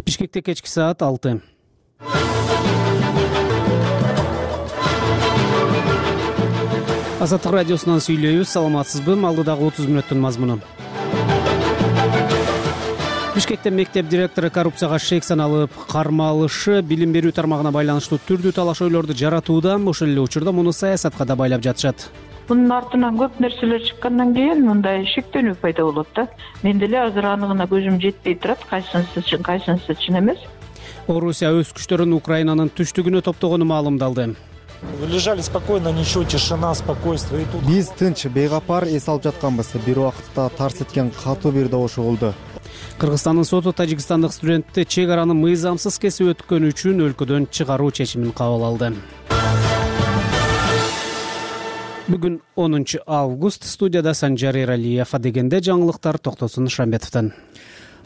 Бишкекте кечки саат 6. Азаттык радиосунан сүйлөйбүз. Саламатсызбы? Алдыдагы 30 мүнөттүн мазмуну. Бишкекте мектеп директору коррупцияга шек саналып кармалышы билим берүү тармагына байланыштуу түрдүү талаш-ойлорду жаратууда. Ошол эле учурда муну саясатка да байлап жатышат. Мунун артынан көп нерселер чыккандан кийин мындай шектенүү пайда болот да. Мен деле азыр анығына көзүм жетпей турат, кайсынысы чын эмес. Орусия өз күчтөрүн Украинанын түштүгүнө топтогону маалымдалды. Вы лежали спокойно, ничего, тишина, спокойствие. Биз тынч, бейгапар эс алып жатканбыз. Бир убакытта тарс эткен катуу бир добуш болду. Кыргызстандын соту тажикстандык студентти чек араны мыйзамсыз кесип өткөнү үчүн өлкөдөн чыгаруу чечимин кабыл алды. Бүгүн 10 август. Студияда Санжар Эралиев. Дегенде жаңылыктар Токтосун Шамбетовдон.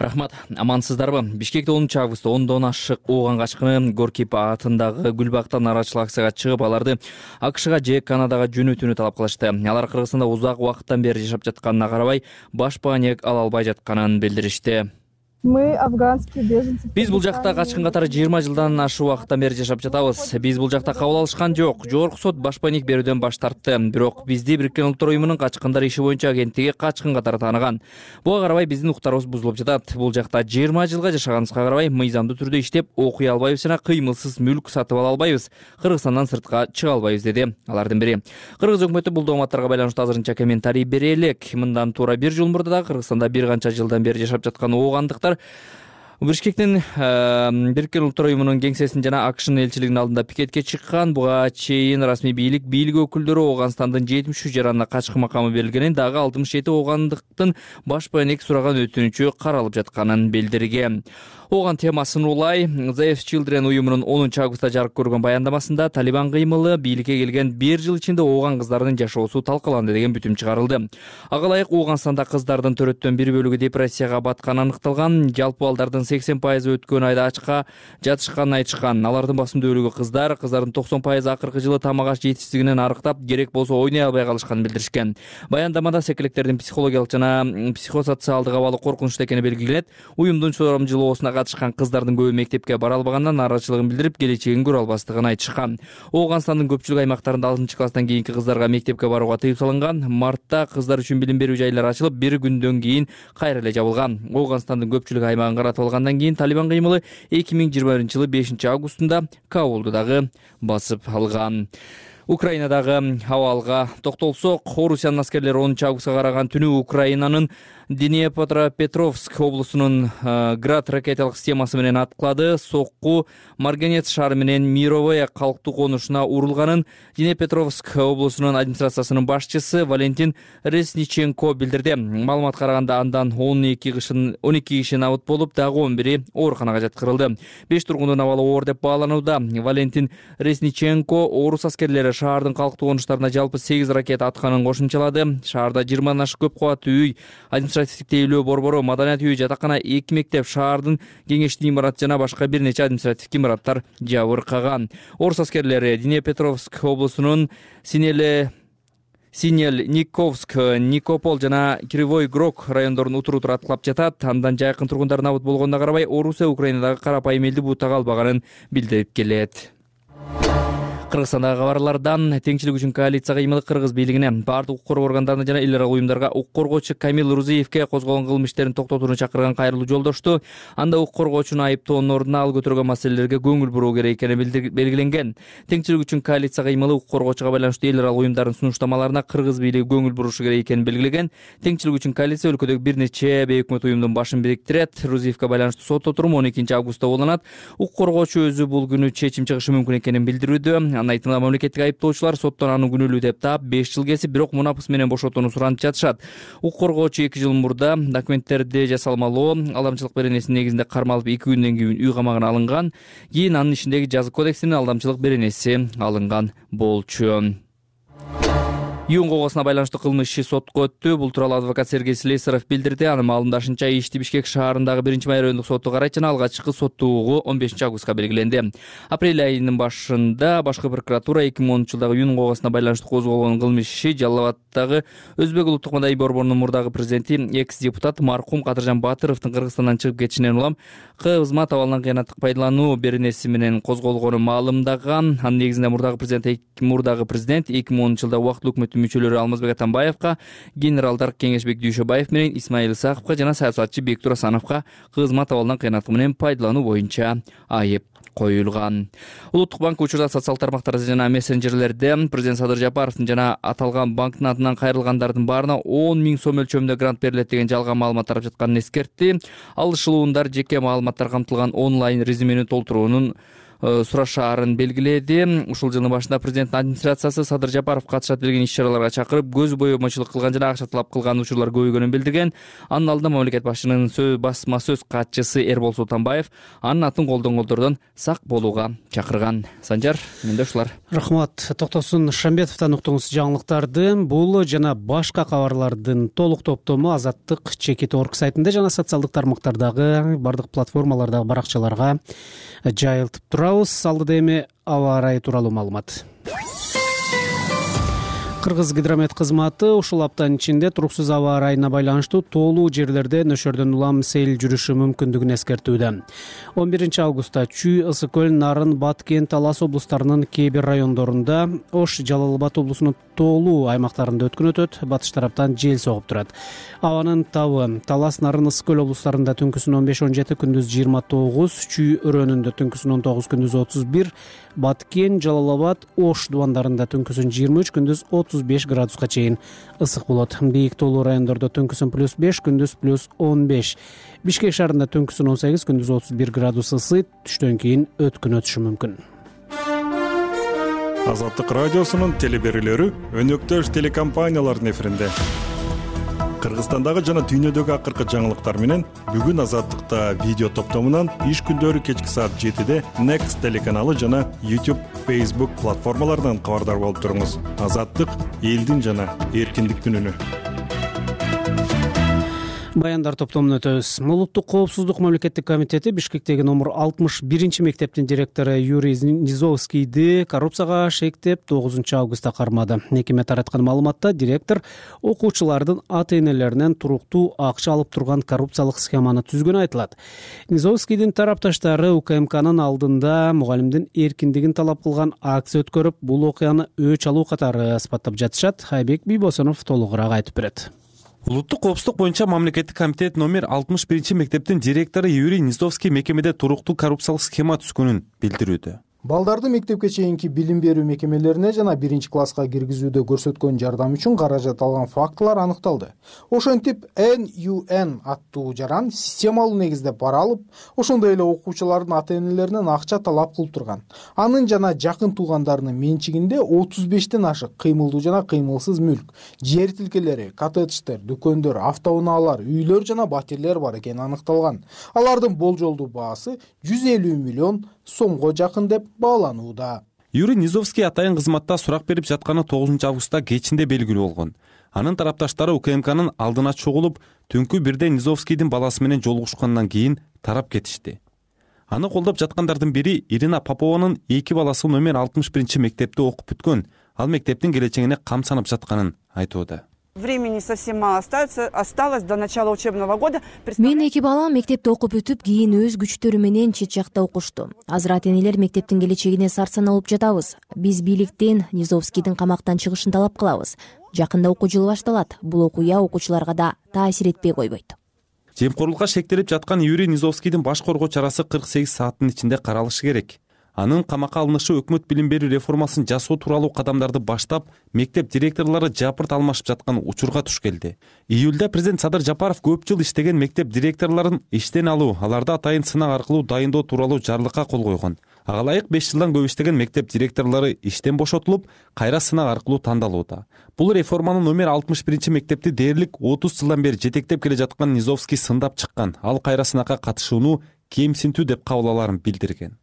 Рахмат, амансыздарбы? Бишкекте 10 августта 10дон ашык ооган качкыны Горкип атындагы Гүлбактан нарачылык акцияга чыгып, аларды АКШга же Канадага жөнөтүүнү талап кылышты. Алар Кыргызстанда узак убакыттан бери жашап жатканына карабай, баш бааник ала албай жатканын билдиришти. Мы афганские беженцы. Биз бул жакта качкын катары 20 жылдан ашык убакыттан бери жашап жатабыз. Биз бул жакта кабыл алышкан жок. Жогорку сот баш бааник берүүдөн баш тартты. Бирок бизди Бириккен Улуттар уюмунун качкындар иши боюнча агенттиги качкын катары тааныган. Буга карабай биздин укуктарыбыз бузулуп жатат. Бул жакта 20 жылга жашаганыбызга карабай мыйзамдуу түрдө иштеп окуй албайбыз жана кыймылсыз мүлк сатып ала албайбыз. Кыргызстандан сыртка чыга албайбыз, деди алардын бири. Кыргыз өкмөтү бул дооматтарга байланыштуу азырынча комментарий бере элек. Мындан туура 1 жыл мурда да Кыргызстанда бир канча жылдан бери жашап жаткан оогандыктар Бишкектин Бириккен Улуттар уюмунун кеңсесин жана АКШнын элчилигинин алдында пикетке чыккан. Буга чейин расмий бийлик өкүлдөрү Оогандын 73 жаранына качкын макамы берилгенин, дагы 67 оогандыктын баш бааник сураган өтүнүчү каралып жатканын билдирген. Ооган темасын улай The Children уюмунун 10 августта жарык көргөн баяндамасында Талибан кыймылы бийликке келген 1 жыл ичинде ооган кыздардын жашоосу талкаланды деген бүтүм чыгарылды. Ага ылайык Оогандагы кыздардын төрөттөн бир бөлүгү депрессияга батканы аныкталган. Жалпы балдардын 80% өткөн айда ачка жатышканын айтышкан. Алардын басымдуу бөлүгү кыздардын 90% акыркы жылы тамак аш жетишсиздигинен арыктап, керек болсо ойной албай калышканын билдиришкен. Баяндамада секилектердин психологиялык жана психосоциалдык абалы коркунучтуу экени белгиленет. Уюмдун сурамжылоосуна катышкан кыздардын көбү мектепке бара албагандан нааразычылыгын билдирип, келечегин көрө албастыгын айтышкан. Оогандын көпчүлүк аймактарында 6-класстан кийинки кыздарга мектепке барууга тыюу салынган. Мартта кыздар үчүн билим берүү жайлары ачылып, бир күндөн кийин кайра эле жабылган. Оогандын көпчүлүк аймагын каратып алгандан кийин Талибан кыймылы 2021-жылы 5 августунда Кабулду дагы басып алган. Украинадагы абалга токтолсок, Орусиянын аскерлери 10 августка караган түнү Украинанын Днепропетровск облусунун Град ракеталык системасы менен аткылады. Сокку Марганец шаары менен Мировое калктуу конушуна урулганын Днепропетровск облусунун администрациясынын башчысы Валентин Ресниченко билдирди. Маалыматка караганда андан 12 киши набыт болуп, дагы 11 ооруканага жаткырылды. 5 тургундун абалы оор деп бааланууда. Валентин Ресниченко орус аскерлери шаардын калктуу конуштарына жалпы 8 ракета атканын кошумчалады. Шаарда 20 ашык көп кабаттуу үй, административдик тейлөө борбору, маданият үйү, жатакана, 2 мектеп, шаардын кеңештик имараты жана башка бир нече административдик имараттар жабыркаган. Орус аскерлери Днепропетровск облусунун Синельниковск, Никопол жана Кривой Грок райондорун утур-утур аткылап жатат. Андан жайкын тургундар набыт болгонуна карабай, Орусия Украинадагы карапайым элди бутага албаганын билдирип келет. Кыргызстандагы кабарлардан Теңчилик үчүн коалиция кыймылы Кыргыз бийлигине, бардык укук коргоо органдарына жана эл аралык уюмдарга укук коргоочу Камил Рузиевке козголгон кылмыш иштерин токтотууну чакырган кайрылуу жолдошту. Анда укук коргоочуну айыптоонун ордуна ал көтөргөн маселелерге көңүл буруу керек экени белгиленген. Теңчилик үчүн коалиция кыймылы укук коргоочуга байланыштуу эл аралык уюмдардын сунуштамаларына Кыргыз бийлиги көңүл бурушу керек экенин белгилеген. Теңчилик үчүн коалиция өлкөдөгү бир нече бейөкмөт уюмдун башын бириктирет. Рузиевке байланыштуу сот отуруму 12 августта болонат. Укук коргоочу өзү бул күнү чечим чыгышы мүмкүн экенин билдирүүдө. Анын айтымында мамлекеттик айыптоочулар соттон аны күнөөлүү деп таап 5 жыл кесип, бирок мунапыс менен бошотууну суранып жатышат. Укук коргоочу 2 жыл мурда документтерди жасалмалоо, алдамчылык беренесинин негизинде кармалып 2 күндөн кийин үй камагына алынган. Кийин анын ишиндеги жазык кодексинин алдамчылык беренеси алынган болчу. Июнь когосуна байланыштуу кылмыш иши сотко өттү. Бул тууралуу адвокат Сергей Слесарев билдирди. Анын маалымдашынча, ишти Бишкек шаарындагы 1-май райондук соту карайт жана алгачкы соттуугу 15-августка белгиленди. Апрель айынын башында башкы прокуратура 2010 жылдагы июнь когосуна байланыштуу козголгон кылмыш иши Жалал Абаддагы Өзбек улуттук маданий борборунун мурдагы президенти, экс-депутат маркум Кадыржан Батыровдун Кыргызстандан чыгып кетишинен улам кызмат абалынан кыянаттык пайдалануу беренеси менен козголгонун маалымдаган. Анын негизинде мурдагы президент 2010 жылда убактылуу өкмөттүн мүчөлөрү Алмазбек Атамбаевка, генералдар Кеңешбек Дүйшөбаев менен Исмаил Исаковго жана саясатчы Бектур Асановго кызмат абалынан кыянаттык менен пайдалануу боюнча айып коюлган. Улуттук банк учурда социалдык тармактарда жана мессенджерлерде президент Садыр Жапаровдун жана аталган банктын атынан кайрылгандардын баарына 10 000 сом өлчөмүндө грант берилет деген жалган маалымат тарап жатканын эскертти. Алышылуундар жеке маалыматтар камтылган онлайн резюмени толтуруунун сурашаарын белгиледи. Ушул жылдын башында президенттин администрациясы Садыр Жапаров катышат делген иш-чараларга чакырып, көз боёмочулук кылган жана акча талап кылган учурлар көбөйгөнүн билдирген. Анын алдында мамлекет башчынын басма сөз катчысы Эрбол Султанбаев анын атын колдонгондордон сак болууга чакырган. Санжар, менде ушулар. Рахмат. Токтосун Шамбетовдон уктуңуз жаңылыктарды. Бул жана башка кабарлардын толук топтому Азаттык Чекит.org сайтында жана социалдык тармактардагы бардык платформалардагы баракчаларга жайылтып турабыз. Алдыда эми аба ырайы тууралуу маалымат. Кыргыз гидромет кызматы ушул аптанын ичинде туруксуз аба ырайына байланыштуу тоолуу жерлерде нөшөрдөн улам сел жүрүшү мүмкүндүгүн эскертүүдө. 11-августта Чүй, Ысык көл, Нарын, Баткен, Талас облустарынын кээ бир райондорунда, Ош, Жалал Абад облусунун тоолуу аймактарында өткөн өтөт. Батыш тараптан жел согуп турат. Абанын табы Талас, Нарын, Ысык көл облустарында түнкүсүн 15-17, күндүз 29, Чүй өрөөнүндө түнкүсүн 19, күндүз 31, Баткен, Жалал Абад, Ош дубандарында түнкүсүн 23, күндүз 35 градуска чейин ысык болот. Бийик тоолуу райондордо түнкүсүн +5, күндүз +15. Бишкек шаарында түнкүсүн 18, күндүз 31 градус ысыйт. Түштөн кийин өткүн өтүшү мүмкүн. Азаттык радиосунун телеберүүлөрү өнөктөш телекомпаниялардын эфиринде. Кыргызстандагы жана дүйнөдөгү акыркы жаңылыктар менен бүгүн Азаттыкта видео топтомунан иш күндөрү кечки саат 7-де Next телеканалы жана YouTube, Facebook платформаларынан кабардар болуп туруңуз. Азаттык элдин жана эркиндиктин үнү. Баяндар топтомун өтөбүз. Улуттук коопсуздук мамлекеттик комитети Бишкектеги номер 61-мектептин директору Юрий Низовскийди коррупцияга шектеп 9-августта кармады. Мекеме тараткан маалыматта директор окуучулардын ата-энелеринен туруктуу акча алып турган коррупциялык схеманы түзгөнү айтылат. Низовскийдин тарапташтары УКМКнын алдында мугалимдин эркиндигин талап кылган акция өткөрүп, бул окуяны өч алуу катары сыпаттап жатышат. Айбек Бийбосунов толугураак айтып берет. Улуттук коопсуздук боюнча мамлекеттик комитет номер 61-мектептин директору Юрий Низовский мекемеде туруктуу коррупциялык схема түзгөнүн билдирүүдө. Балдарды мектепке чейинки билим берүү мекемелерине жана 1-класска киргизүүдө көрсөткөн жардам үчүн каражат алган фактылар аныкталды. Ошентип NUN аттуу жаран системалуу негизде пара алып, ошондой эле окуучулардын ата-энелеринен акча талап кылып турган. Анын жана жакын туугандарынын менчигинде 35тен ашык кыймылдуу жана кыймылсыз мүлк, жер тилкелери, коттедждер, дүкөндөр, автоунаалар, үйлөр жана батирлер бар экени аныкталган. Алардын болжолдуу баасы 150 миллион сомго жакын деп бааланууда. Юрий Низовский атайын кызматта сурак берип жатканы 9-августта кечинде белгилүү болгон. Анын тарапташтары УКМКнын алдына чогулуп, түнкү 1-де Низовскийдин баласы менен жолугушкандан кийин тарап кетишти. Аны колдоп жаткандардын бири Ирина Попованын 2 баласы номер 61-мектепте окуп бүткөн. Ал мектептин келечегине кам санап жатканын айтууда. Времени совсем мало осталось до начала учебного года. Мен 2 балам мектепте окуп бүтүп, кийин өз күчтөрү менен чет жакта окушту. Азыр ата-энелер мектептин келечегине сарсан алып жатабыз. Биз бийликтен Низовскийдин камактан чыгышын талап кылабыз. Жакында окуу жылы башталат. Бул окуя окуучуларга да таасир этпей койбойт. Жемкорлукка шектелип жаткан Юрий Низовскийдин баш коргоо чарасы 48 сааттын ичинде каралышы керек. Анын камакка алынышы өкмөт билим берүү реформасын жасоо тууралуу кадамдарды баштап, мектеп директорлору жапырт алмашып жаткан учурга туш келди. Июлда президент Садыр Жапаров көп жыл иштеген мектеп директорлорун иштен алуу, аларды атайын сынак аркылуу дайындоо тууралуу жарлыкка кол койгон. Ага ылайык 5 жылдан көп иштеген мектеп директорлору иштен бошотулуп, кайра сынак аркылуу тандалууда. Бул реформанын номер 61-мектепти дээрлик 30 жылдан бери жетектеп келе жаткан Низовский сындап чыккан. Ал кайра сынакка катышууну кемсинтүү деп кабыл аларын билдирген.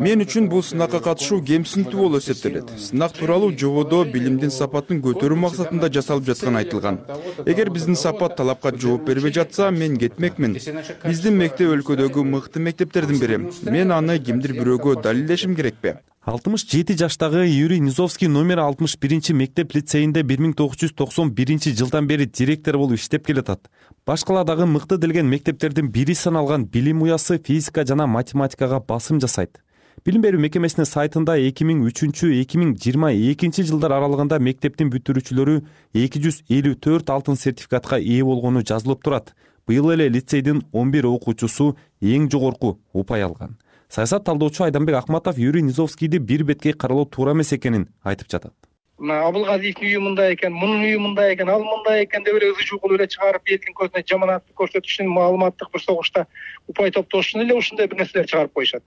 Мен үчүн бул сынакка катышуу кемсинтүү болуп эсептелет. Сынак тууралуу жободо билимдин сапатын көтөрүү максатында жасалып жатканы айтылган. Эгер биздин сапат талапка жооп бербей жатса, мен кетмекмин. Биздин мектеп өлкөдөгү мыкты мектептердин бири. Мен аны кимдир бирөөгө далилдешим керекпи? 67 жаштагы Юрий Низовский номер 61 мектеп лицейинде 1991 жылдан бери директор болуп иштеп келатат. Башкаладагы мыкты делген мектептердин бири саналган билим уясы физика жана математикага басым жасайт. Билим берүү мекемесинин сайтында 2003-2022 жылдар аралыгында мектептин бүтүрүүчүлөрү 254 алтын сертификатка ээ болгону жазылып турат. Быйыл эле лицейдин 11 окуучусу эң жогорку упай алган. Саясат талдоочу Айданбек Акматов Юрий Низовскийди бир беткей каралоо туура эмес экенин айтып жатат. Абылгазиевдин үйү мындай экен, мунун үйү мындай экен, ал мындай экен деп эле ызы кылып эле чыгарып, элдин көзүнө жаманатты көрсөтүш үчүн, маалыматтык бир согушта упай топтош үчүн эле ушундай бир нерселер чыгарып коюшат.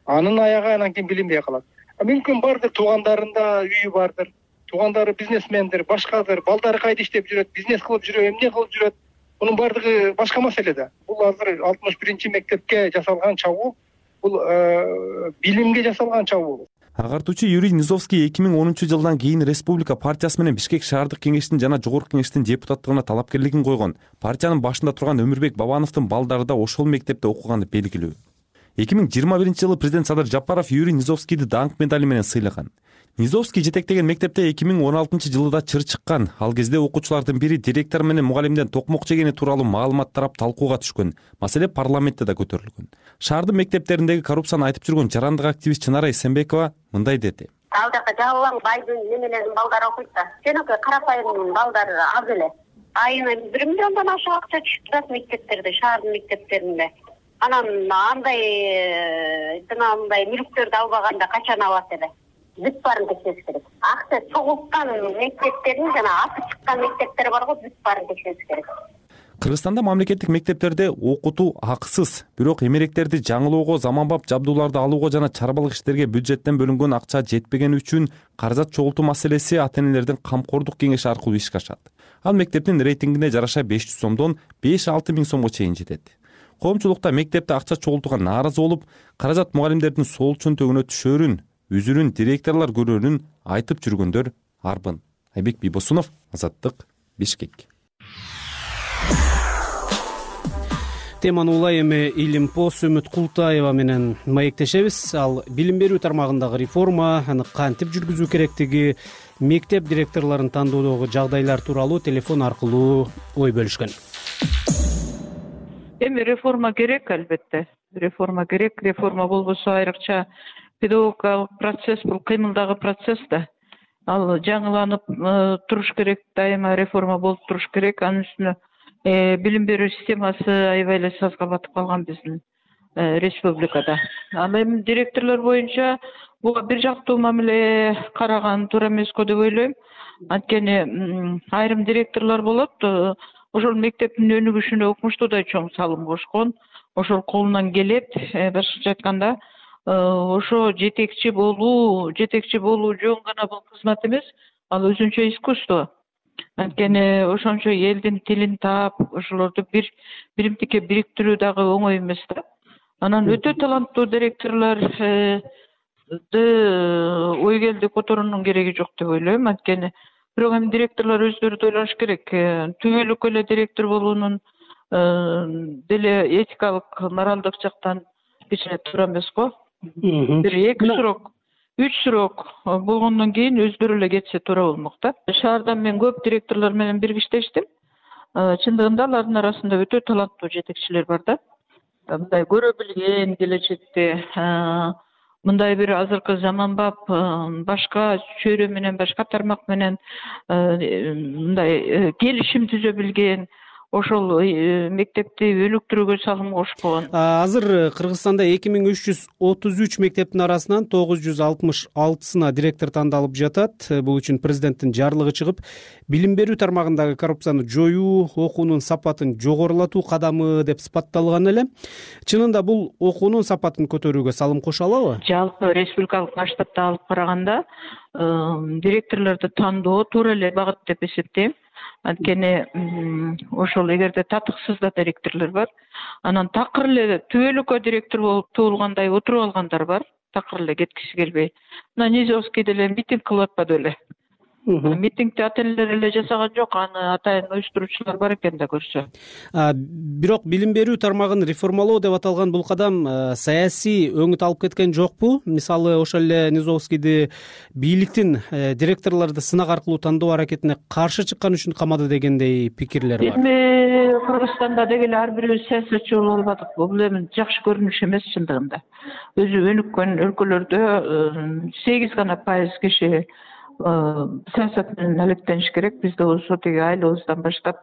Анын аягы анан кийин билинбей калат. Мүмкүн бардыр, туугандарында үйү бардыр, туугандары бизнесмендир, башкадыр, балдары кайда иштеп жүрөт, бизнес кылып жүрөт, эмне кылып жүрөт. Мунун бардыгы башка маселе да. Бул азыр 61 мектепке жасалган чабуул, бул билимге жасалган чабуул. Агартуучу Юрий Низовский 2010 жылдан кийин Республика партиясы менен Бишкек шаардык кеңештин жана жогорку кеңештин депутаттыгына талапкерлигин койгон. Партиянын башында турган Өмүрбек Бабановдун балдары да ошол мектепте окуганы белгилүү. 2021 жылы президент Садыр Жапаров Юрий Низовскийди даңк медали менен сыйлаган. Низовский жетектеген мектепте 2016 жылыда чыр чыккан. Ал кезде окуучулардын бири директор менен мугалимден токмок жегени тууралуу маалымат тарап талкууга түшкөн. Маселе парламентте да көтөрүлгөн. Шаардын мектептериндеги коррупцияны айтып жүргөн жарандык активист Чынара Эсенбекова мындай деди. Ал жака жабылган байдын немелерин балдары окуйт да. Жөнөкөй карапайым балдары аз эле. Айына 1 миллиондон ашык акча түшүп турат мектептерде, шаардын мектептеринде. Анан андай мындай мүлктөрдү албаганда качан алат эле? Бүт баарын текшериш керек. Акча чогулткан мектептердин жана аты чыккан мектептер бар го, бүт баарын текшериш керек. Кыргызстанда мамлекеттик мектептерде окутуу акысыз, бирок эмеректерди жаңылоого, заманбап жабдууларды алууга жана чарбалык иштерге бюджеттен бөлүнгөн акча жетпегени үчүн каражат чогултуу маселеси ата-энелердин камкордук кеңеши аркылуу ишке ашат. Ал мектептин рейтингине жараша 500 сомдон 5-6 миң сомго чейин жетет. Коомчулукта мектепте акча чогултууга нааразы болуп, каражат мугалимдердин сол чөнтөгүнө түшөрүн, үзүрүн директорлор көрөрүн айтып жүргөндөр арбын. Айбек Бийбосунов, Азаттык, Бишкек. Теманы улай эми Илимпос Үмүт Култаева менен маектешебиз. Ал билим берүү тармагындагы реформа, аны кантип жүргүзүү керектиги, мектеп директорлорун тандоодогу жагдайлар тууралуу телефон аркылуу ой бөлүшкөн. Эми реформа керек, албетте. Реформа керек. Реформа болбосо айрыкча педагогикалык процесс бул кыймылдагы процесс да. Ал жаңыланып туруш керек, дайыма реформа болуп туруш керек. Анын үстүнө билим берүү системасы аябай эле сазга батып калган биздин республикада. Ал эми директорлор боюнча буга бир жактуу мамиле караган туура эмеско деп ойлойм. Анткени айрым директорлор болот, ошол мектептин өнүгүшүнө укмуштуу да чоң салым кошкон, ошол колунан келет. Башкача айтканда, ошо жетекчи болуу жөн гана бул кызмат эмес, ал өзүнчө искусство. Анткени ошончо элдин тилин таап, ошолорду биримдикке бириктирүү дагы оңой эмес да. Анан өтө таланттуу директорлорду ой келди которуунун кереги жок деп ойлойм. Анткени бирок эми директорлор өздөрү да ойлоnuш керек. Түбөлүк эле директор болуунун деле этикалык, моралдык жактан кичине туура эмес го. Бир 2 срок, 3 срок болгондон кийин өздөрү эле кетсе туура болмок да. Шаарда мен көп директорлор менен бирге иштештим. Чындыгында алардын арасында өтө таланттуу жетекчилер бар да. Мындай көрө билген келечекте, мындай бир азыркы заманбап башка чөйрө менен, башка тармак менен мындай келишим түзө билген, ошол мектепти өнүктүрүүгө салым кошкон. Азыр Кыргызстанда 2333 мектептин арасынан 966-сына директор тандалып жатат. Бул үчүн президенттин жарлыгы чыгып, билим берүү тармагындагы коррупцияны жоюу, окуунун сапатын жогорулатуу кадамы деп сыпатталган эле. Чынында бул окуунун сапатын көтөрүүгө салым кошо алабы? Жалпы республикалык масштабта алып караганда директорлорду тандоо туура эле багыт деп эсептейм. Анткени ошол эгерде татыксыз да директорлор бар, анан такыр эле түбөлүккө директор болуп туулгандай отуруп алгандар бар, такыр эле кеткиси келбей. Мына Низовскийде эле митинг кылып атпады беле. Митингди ата энелер эле жасаган жок, аны атайын уюштуруучулар бар экен да көрсө. Бирок билим берүү тармагын реформалоо деп аталган бул кадам саясий өңүт алып кеткен жокпу? Мисалы, ошол эле Низовскийди бийликтин директорлорду сынак аркылуу тандоо аракетине каршы чыккан үчүн камады дегендей пикирлер бар. Эми Кыргызстанда деги эле ар бирибиз саясатчы болуп албадык. Бул эми жакшы көрүнүш эмес чындыгында. Өзү өнүккөн өлкөлөрдө 8% киши саясат менен алектениш керек. Бизде болсо тиги айлабыздан баштап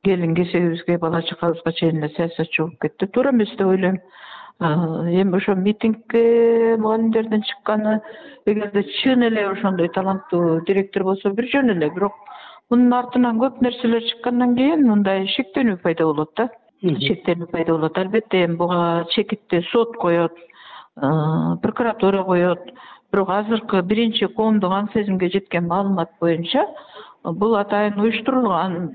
келин кесебибизге, бала чакабызга чейин эле саясатчы болуп кетти. Туура эмес деп ойлойм. Эми ошо митингке мугалимдердин чыкканы, эгерде чын эле ошондой таланттуу директор болсо бир жөн эле, бирок мунун артынан көп нерселер чыккандан кийин мындай шектенүү пайда болот да. Шектенүү пайда болот. Албетте эми буга чекитти сот коет, прокуратура коет. Бирок азыркы биринчи коомдук аң сезимге жеткен маалымат боюнча бул атайын уюштурулган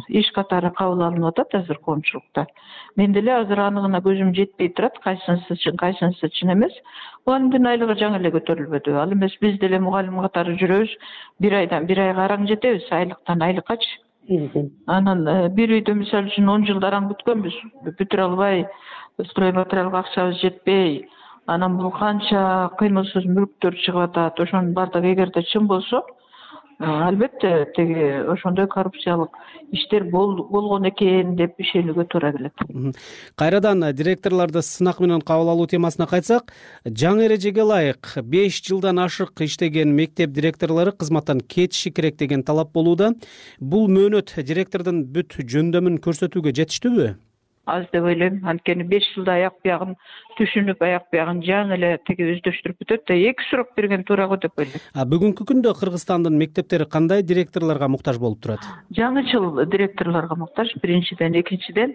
иш катары кабыл алынып атат азыр коомчулукта. Мен деле азыр анығына көзүм жетпей турат, кайсынысы чын эмес. Мугалимдин айлыгы жаңы эле көтөрүлбөдү. Ал эмес биз деле мугалим катары жүрөбүз, бир айдан бир айга араң жетебиз, айлыктан айлыккачы. Анан бир үйдө мисалы үчүн 10 жылдар араң бүткөнбүз, бүтүрө албай, строй материалга акчабыз жетпей, анан бул канча кыймылсыз мүлктөр чыгып атат. Ошонун бардыгы эгерде чын болсо, албетте теги ошондой коррупциялык иштер болгон экен деп ишенүүгө туура келет. Кайрадан директорлорду сынак менен кабыл алуу темасына кайтсак, жаңы эрежеге ылайык 5 жылдан ашык иштеген мектеп директорлору кызматтан кетиши керек деген талап болууда. Бул мөөнөт директордун бүт жөндөмүн көрсөтүүгө жетиштүүбү? Аз деп ойлойм. Анткени 5 жылда аяк биягын түшүнүп, аяк биягын жаңы эле теги өздөштүрүп бүтөт да, 2 сурак берген туура го деп ойлойм. Бүгүнкү күндө Кыргызстандын мектептери кандай директорлорго муктаж болуп турат? Жаңычыл директорлорго муктаж, биринчиден, экинчиден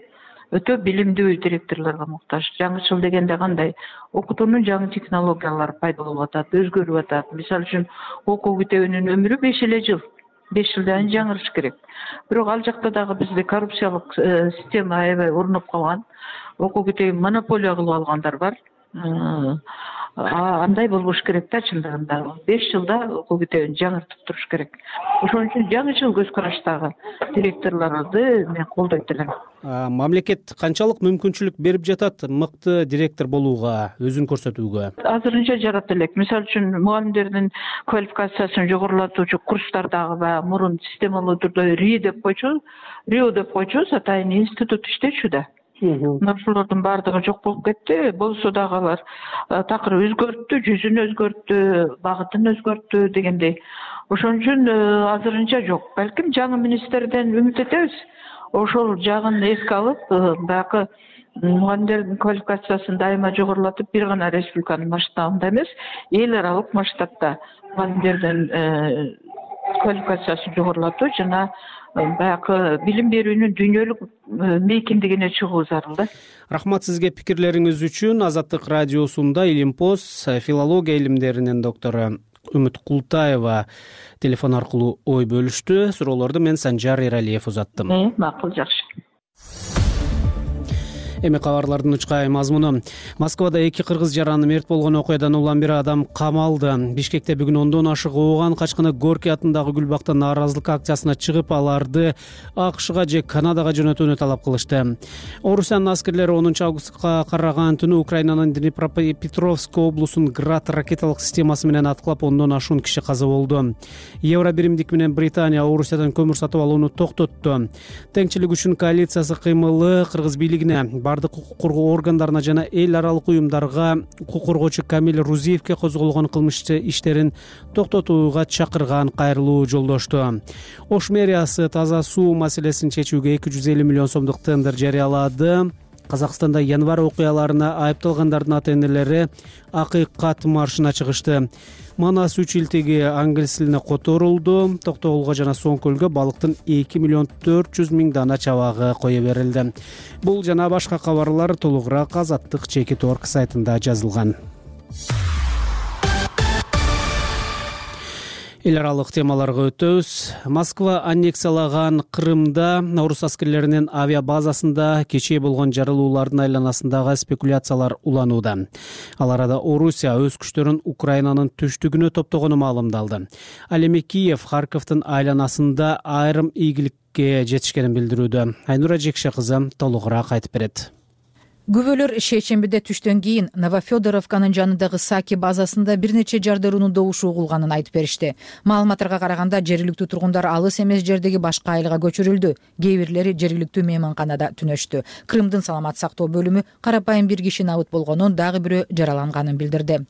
өтө билимдүү директорлорго муктаж. Жаңычыл дегенде кандай? Окутуунун жаңы технологиялары пайда болуп атат, өзгөрүп атат. Мисалы үчүн окуу китебинин өмүрү 5 эле жыл. 5 жылдан жаңырыш керек. Бирок ал жакта дагы бизде коррупциялык система аябай орноп калган. Окуу китебин монополия кылып алгандар бар. Андай болбош керек да чындыгында. 5 жылда окуу китебин жаңыртып туруш керек. Ошон үчүн жаңычыл көз караштагы директорлорду мен колдойт элем. Мамлекет канчалык мүмкүнчүлүк берип жатат мыкты директор болууга, өзүн көрсөтүүгө? Азырынча жарата элек. Мисалы үчүн мугалимдердин квалификациясын жогорулатуучу курстардагы баягы мурун системалуу түрдө РИО деп койчубуз, атайын институт иштечү да. Ошолордун баардыгы жок болуп кетти. Болсо дагы алар такыр өзгөрттү, жүзүн өзгөрттү, багытын өзгөрттү дегендей. Ошон үчүн азырынча жок. Балким жаңы министрден үмүт этебиз. Ошол жагын эске алып, баягы мугалимдердин квалификациясын дайыма жогорулатып, бир гана республиканын масштабында эмес, эл аралык масштабта мугалимдердин квалификациясын жогорулатуу жана баягы билим берүүнүн дүйнөлүк мейкиндигине чыгуу зарыл да. Рахмат сизге пикирлериңиз үчүн. Азаттык радиосунда Илимпоз филология илимдеринин доктору Үмүт Култаева телефон аркылуу ой бөлүштү. Суроолорду мен Санжар Эралиев узаттым. Макул, жакшы. Эми кабарлардын учкай мазмуну. Москвада 2 кыргыз жараны мерт болгон окуядан улам бир адам камалды. Бишкекте бүгүн 10дон ашык ооган качкыны Горький атындагы гүл бакта нааразылык акциясына чыгып, аларды АКШга же Канадага жөнөтүүнү талап кылышты. Орусиянын аскерлери 10 августка караган түнү Украинанын Днепропетровск облусун Град ракеталык системасы менен аткылап 10дон ашуун киши каза болду. Евро биримдик менен Британия Орусиядан көмүр сатып алууну токтотту. Теңчилик үчүн коалициясы кыймылы кыргыз бийлигине, бардык укук коргоо органдарына жана эл аралык уюмдарга укук коргоочу Камил Рузиевке козголгон кылмыш иштерин токтотууга чакырган кайрылуу жолдошту. Ош мэриясы таза суу маселесин чечүүгө 250 миллион сомдук тендер жарыялады. Казакстанда январь окуяларына айыпталгандардын ата-энелери акыйкат маршына чыгышты. Манас 3 илтеги англис тилине которулду. Токтогулга жана Соңкөлгө балыктын 2 миллион 400 миң дана чабагы кое берилди. Бул жана башка кабарлар толугураак Азаттык Чекит.org сайтында жазылган. Эл аралык темаларга өтөбүз. Москва аннексиялаган Крымда орус аскерлеринин авиабазасында кечээ болгон жарылуулардын айланасындагы спекуляциялар уланууда. Ал арада Орусия өз күчтөрүн Украинанын түштүгүнө топтогону маалымдалды. Ал эми Киев, Харьковдун айланасында айрым ийгиликке жетишкенин билдирүүдө. Айнура Жекше кызы толугураак айтып берет. Күбөлөр шейшембиде түштөн кийин Новофедоровканын жанындагы Саки базасында бир нече жардыруунун добушу угулганын айтып беришти. Маалыматтарга караганда жергиликтүү тургундар алыс эмес жердеги башка айылга көчүрүлдү. Кээ бирлери жергиликтүү мейманканада түнөштү. Крымдын саламат сактоо бөлүмү карапайым бир киши набыт болгонун, дагы бирөө жараланганын билдирди.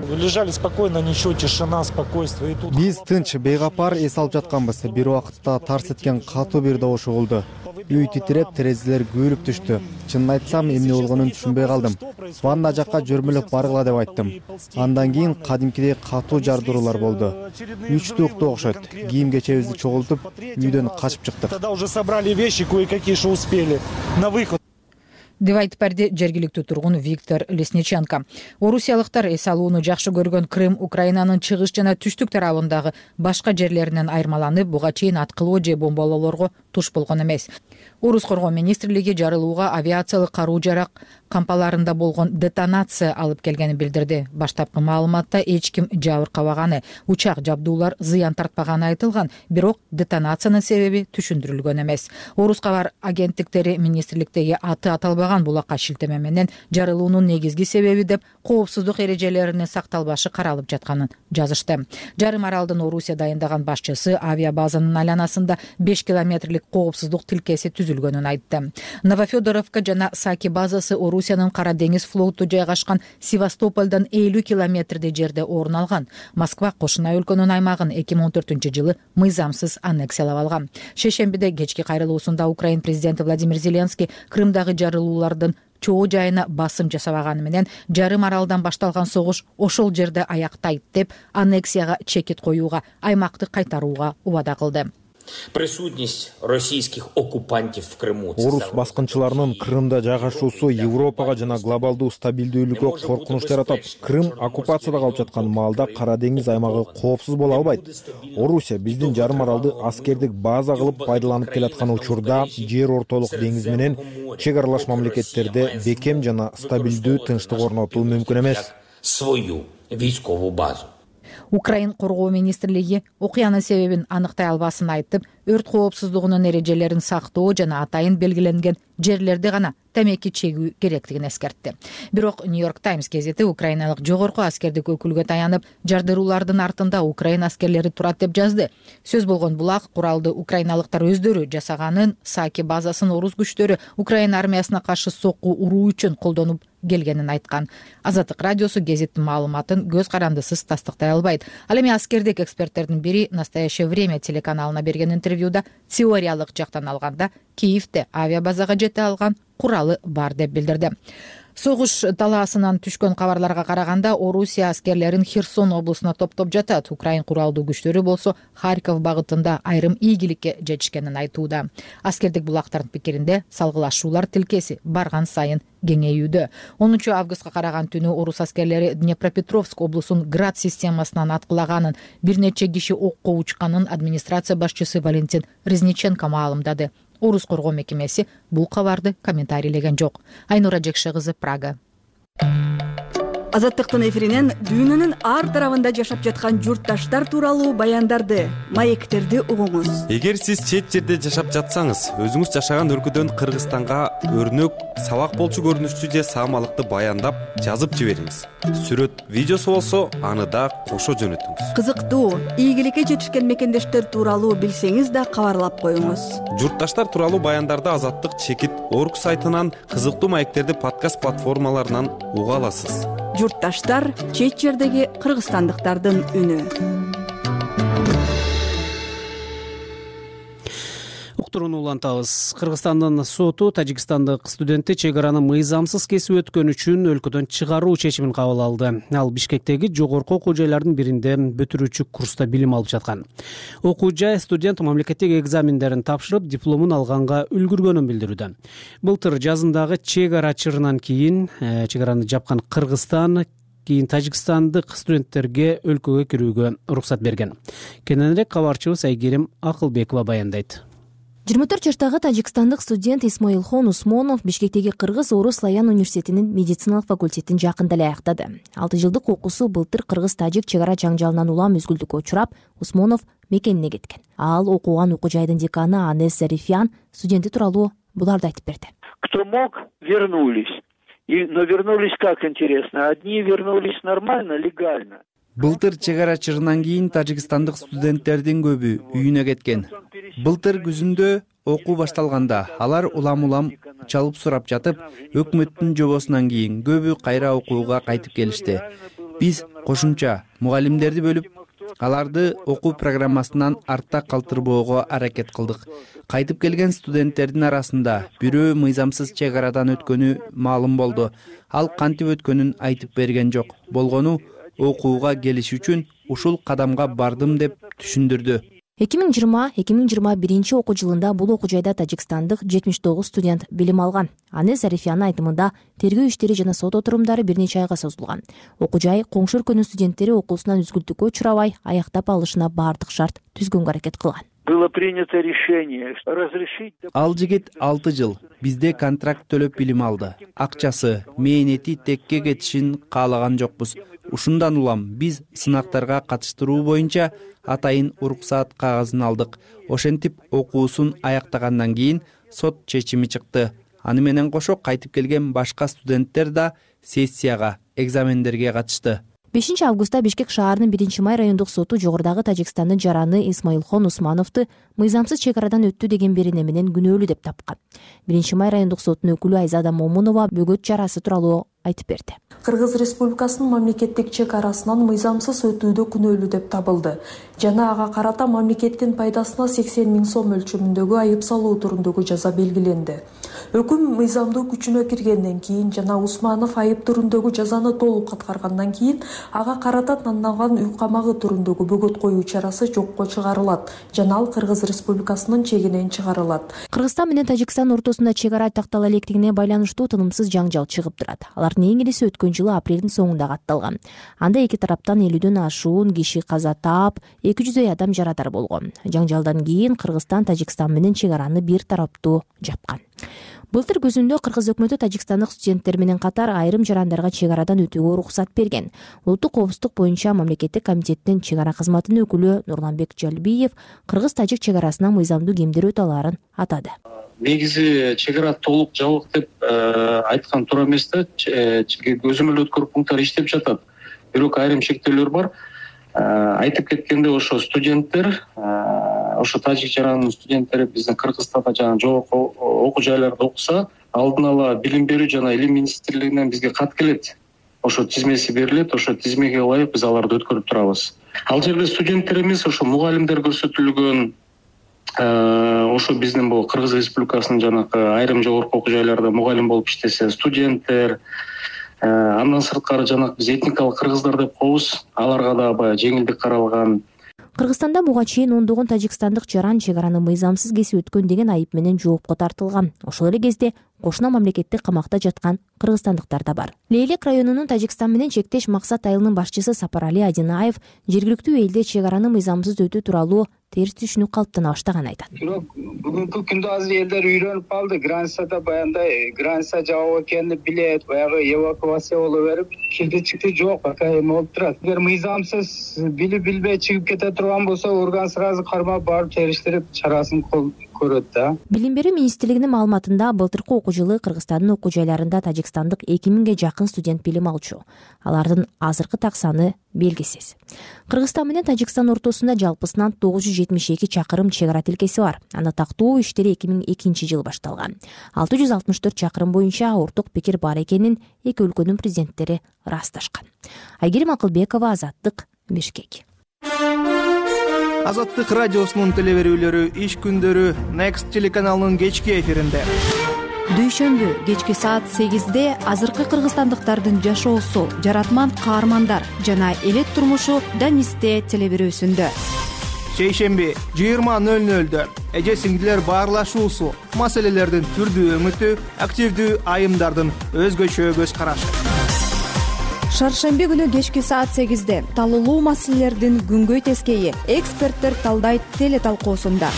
Лежали спокойно, ничего, тишина, спокойствие. Биз тынч, бейгапар эс алып жатканбыз. Бир убакытта тарс эткен катуу бир добуш угулду. Үй титиреп, терезелер күйүлүп түштү. Чынын айтсам, эмне болгонун түшүнбөй калдым. Ванна жакка жөрмөлөп баргыла деп айттым. Андан кийин кадимкидей катуу жардыруулар болду. Үчтүктө окшойт. Кийим кечебизди чогултуп, үйдөн качып чыктык. Тогда уже собрали вещи, кое-какие, что успели на выход. Деп айтып берди жергиликтүү тургун Виктор Лесниченко. Орусиялыктар эс алууну жакшы көргөн Крым Украинанын чыгыш жана түштүк тарабындагы башка жерлеринен айырмаланып, буга чейин аткылоо же бомбалоолорго туш болгон эмес. Орус коргоо министрлиги жарылууга авиациялык каруу-жарак кампаларында болгон детонация алып келгенин билдирди. Баштапкы маалыматта эч ким жабыркабаганы, учак жабдуулар зыян тартпаганы айтылган, бирок детонациянын себеби түшүндүрүлгөн эмес. Орус кабар агенттиктери министрликтеги аты аталбаган булакка шилтеме менен жарылуунун негизги себеби деп коопсуздук эрежелеринин сакталбашы каралып жатканын жазышты. Жарым аралдын Орусия дайындаган башчысы авиабазанын айланасында 5 километрлик коопсуздук тилкеси түзүлгөнүн айтты. Новофедоровка жана Саки базасы Орусиянын Кара деңиз флоту жайгашкан Севастополдон 50 километрдей жерде орун алган. Москва кошуна өлкөнүн аймагын 2014-жылы мыйзамсыз аннексиялап алган. Шейшембиде кечки кайрылуусунда Украин президенти Владимир Зеленский Крымдагы жарылуулардын чоо жайына басым жасабаганы менен жарым аралдан башталган согуш ошол жерде аяктайт деп аннексияга чекит коюуга, аймакты кайтарууга убада кылды. Присутность российских оккупантов в Крыму. Орус баскынчыларынын Крымда жайгашуусу Европага жана глобалдуу стабилдүүлүккө коркунуч жаратат. Крым оккупацияда калып жаткан маалда Кара деңиз аймагы коопсуз боло албайт. Орусия биздин жарым аралды аскердик база кылып пайдаланып келаткан учурда жер ортолук деңиз менен чек аралаш мамлекеттерде бекем жана стабилдүү тынчтык орнотуу мүмкүн эмес. Свою войсковую базу. Украин коргоо министрлиги окуянын себебин аныктай албасын айтып, өрт коопсуздугунун эрежелерин сактоо жана атайын белгиленген жерлерде гана темеки чегүү керектигин эскертти. Бирок Нью-Йорк Таймс газети украиналык жогорку аскердик өкүлгө таянып, жардыруулардын артында Украин аскерлери турат деп жазды. Сөз болгон булак куралды украиналыктар өздөрү жасаганын, Саки базасын орус күчтөрү Украин армиясына каршы сокку уруу үчүн колдонуп келгенин айткан. Азаттык радиосу гезиттин маалыматын көз карандысыз тастыктай албайт. Ал эми аскердик эксперттердин бири Настоящее время телеканалына берген интервьюда теориялык жактан алганда Киевде авиабазага жете алган куралы бар деп билдирди. Согуш талаасынан түшкөн кабарларга караганда Орусия аскерлерин Херсон облусуна топтоп жатат. Украин куралдуу күчтөрү болсо Харьков багытында айрым ийгиликке жетишкенин айтууда. Аскердик булактардын пикиринде салгылашуулар тилкеси барган сайын кеңейүүдө. 10 августка караган түнү орус аскерлери Днепропетровск облусунун Град системасынан аткылаганын, бир нече киши окко учканын администрация башчысы Валентин Резниченко маалымдады. Орус коргоо мекемеси бул кабарды комментарийлеген жок. Айнура Жекше кызы, Прага. Азаттыктын эфиринен дүйнөнүн ар тарабында жашап жаткан журтташтар тууралуу баяндарды, маектерди угуңуз. Эгер сиз чет жерде жашап жатсаңыз, өзүңүз жашаган өлкөдөн Кыргызстанга өрнөк, сабак болчу көрүнүштүү же саамалыкты баяндап жазып жибериңиз. Сүрөт, видеосу болсо, аны да кошо жөнөтүңүз. Кызыктуу, ийгиликке жетишкен мекендештер тууралуу билсеңиз да кабарлап коюңуз. Журтташтар тууралуу баяндарды Азаттык чекит орг сайтынан, кызыктуу маектерди подкаст платформаларынан уга аласыз. Журтташтар — чет жердеги кыргызстандыктардын үнү. Уктурууну улантабыз. Кыргызстандын соту тажикстандык студентти чек араны мыйзамсыз кесип өткөн үчүн өлкөдөн чыгаруу чечимин кабыл алды. Ал Бишкектеги жогорку окуу жайлардын биринде бүтүрүүчү курста билим алып жаткан. Окуу жай студент мамлекеттик экзамендерин тапшырып, дипломун алганга үлгүргөнүн билдирүүдө. Былтыр жазындагы чек ара чырынан кийин чек араны жапкан Кыргызстан кийин тажикстандык студенттерге өлкөгө кирүүгө уруксат берген. Кененирээк кабарчыбыз Айгерим Акылбекова баяндайт. 24 жаштагы тажикстандык студент Исмаилхон Усмонов Бишкектеги Кыргыз-Орус Славян университетинин медициналык факультетин жакында эле аяктады. 6 жылдык окуусу былтыр кыргыз-тажик чек ара жаңжалынан улам үзгүлтүккө учурап, Усмонов мекенине кеткен. Ал окуган окуу жайдын деканы Анес Зарифян студенти тууралуу буларды айтып берди. Кто мог, вернулись. Но вернулись как интересно. Одни вернулись нормально, легально. Былтыр чек ара чыгынан кийин тажикстандык студенттердин көбү үйүнө кеткен. Былтыр күзүндө окуу башталганда алар улам чалып сурап жатып, өкмөттүн жобосунан кийин көбү кайра окууга кайтып келишти. Биз кошумча мугалимдерди бөлүп, аларды окуу программасынан артта калтырбоого аракет кылдык. Кайтып келген студенттердин арасында бирөө мыйзамсыз чек арадан өткөнү маалым болду. Ал кантип өткөнүн айтып берген жок. Болгону окууга келиш үчүн ушул кадамга бардым деп түшүндүрдү. 2020-2021 окуу жылында бул окуу жайда тажикстандык 79 студент билим алган. Анес Зарифянын айтымында тергөө иштери жана сот отурумдары бир нече айга созулган. Окуу жай коңшу өлкөнүн студенттери окуусунан үзгүлтүккө учурабай аяктап алышына бардык шарт түзгөнгө аракет кылган. Было принято решение разрешить. Ал жигит 6 жыл бизде контракт төлөп билим алды. Акчасы, мээнети текке кетишин каалаган жокпуз. Ушундан улам биз сынактарга катыштыруу боюнча атайын уруксаат кагазын алдык. Ошентип окуусун аяктагандан кийин сот чечими чыкты. Аны менен кошо кайтып келген башка студенттер да сессияга, экзамендерге катышты. 5 августта Бишкек шаарынын 1-Май райондук соту жогорудагы Тажикстандын жараны Исмаилхон Усмановду мыйзамсыз чек арадан өттү деген берене менен күнөөлүү деп тапкан. 1-Май райондук сотунун өкүлү Айзада Момунова бөгөт чарасы тууралуу айтып берди. Кыргыз Республикасынын мамлекеттик чек арасынан мыйзамсыз өтүүдө күнөөлүү деп табылды жана ага карата мамлекеттин пайдасына 80 000 сом өлчөмүндөгү айып салуу турундагы жаза белгиленди. Өкүм мыйзамдуу күчүнө киргенден кийин жана Усманов айып турундагы жазаны толук аткаргандан кийин ага карата танылган үй камагы турундагы бөгөт коюу чарасы жокко чыгарылат жана ал Кыргыз Республикасынын чегинен чыгарылат. Кыргызстан менен Тажикстан ортосунда чек ара тактала электигине байланыштуу тынымсыз жаңжал чыгып турат. Алардын эң ириси өткөн жылы апрелдин соңунда катталган. Анда эки тараптан 50дөн ашуун киши каза таап, 200 адам жарадар болгон. Жаңжалдан кийин Кыргызстан Тажикстан менен чек араны бир тараптуу жапкан. Былтыр күзүндө Кыргыз өкмөтү тажикстандык студенттер менен катар айрым жарандарга чек арадан өтүүгө уруксат берген. Улуттук коопсуздук боюнча мамлекеттик комитеттин чек ара кызматынын өкүлү Нурланбек Жалбиев Кыргыз-тажик чек арасына мыйзамдуу кемдер өтө аларын атады. Негизи чек ара толук жабык деп айткан туура эмес да. Көзөмөл өткөрүү пункттары иштеп жатат. Бирок айрым чектөөлөр бар. Айтып кеткенде ошо студенттер, ошо тажик жаранынын студенттери биздин Кыргызстанда жана жогорку окуу жайларда окуса, алдын ала билим берүү жана илим министрлигинен бизге кат келет. Ошо тизмеси берилет, ошо тизмеге ылайык биз аларды өткөрүп турабыз. Ал жерде студенттер эмес, ошо мугалимдер көрсөтүлгөн. Ошо биздин бул Кыргыз Республикасынын жанагы айрым жогорку окуу жайларда мугалим болуп иштесе студенттер, андан сырткары жанагы биз этникалык кыргыздар деп коебуз, аларга да баягы жеңилдик каралган. Кыргызстанда буга чейин ондогон тажикстандык жаран чек араны мыйзамсыз кесип өткөн деген айып менен жоопко тартылган. Ошол эле кезде кошуна мамлекеттик камакта жаткан кыргызстандыктар да бар. Лейлек районунун Тажикстан менен чектеш Максат айылынын башчысы Сапарали Адинаев жергиликтүү элде чек араны мыйзамсыз өтүү тууралуу терс түшүнүк калыптана баштаганын айтат. Бүгүнкү күндө азыр элдер үйрөнүп калды. Границада баягындай граница жабык экенин билет, баягы эвакуация боло берип, кирди чыкты жок, пока эме болуп турат. Эгер мыйзамсыз билип билбей чыгып кете турган болсо, орган сразу кармап барып териштирип чарасын көрөт да. Билим берүү министрлигинин маалыматында былтыркы окуу жылы Кыргызстандын окуу жайларында тажикстандык 2000ге жакын студент билим алчу. Алардын азыркы так саны белгисиз. Кыргызстан менен Тажикстан ортосунда жалпысынан 972 чакырым чек ара тилкеси бар. Аны тактоо иштери 2002 жылы башталган. 664 чакырым боюнча орток пикир бар экенин эки өлкөнүн президенттери ырасташкан. Айгерим Акылбекова, Азаттык, Бишкек. Азаттык радиосунун телеберүүлөрү иш күндөрү Next телеканалынын кечки эфиринде. Дүйшөмбү кечки саат 8-де азыркы кыргызстандыктардын жашоосу, жаратман каармандар жана элет турмушу Данисте телеберүүсүндө. Шейшемби 20:00-дө эже сиңдилер баарлашуусу, маселелердин түрдүү өңүтү, активдүү айымдардын өзгөчө көз карашы. Шаршемби күнү кечки саат 8-де талуулуу маселелердин күнгөй тескейи эксперттер талдайт теле талкуусунда.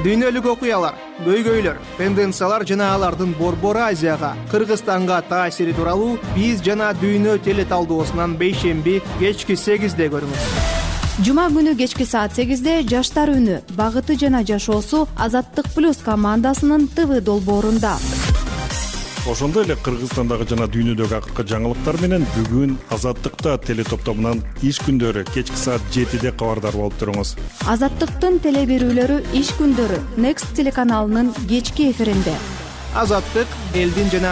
Дүйнөлүк окуялар, көйгөйлөр, тенденциялар жана алардын Борбор Азияга, Кыргызстанга таасири тууралуу биз жана дүйнө теле талдоосунан бейшемби кечки 8-де көрүңүз. Жума күнү кечки саат 8-де жаштар үнү, багыты жана жашоосу Азаттык плюс командасынын ТВ долбоорунда. Ошондой эле Кыргызстандагы жана дүйнөдөгү акыркы жаңылыктар менен бүгүн Азаттыкта теле топтомунан иш күндөрү кечки саат 7-де кабардар болуп туруңуз. Азаттыктын теле берүүлөрү иш күндөрү Next телеканалынын кечки эфиринде. Азаттык элдин жана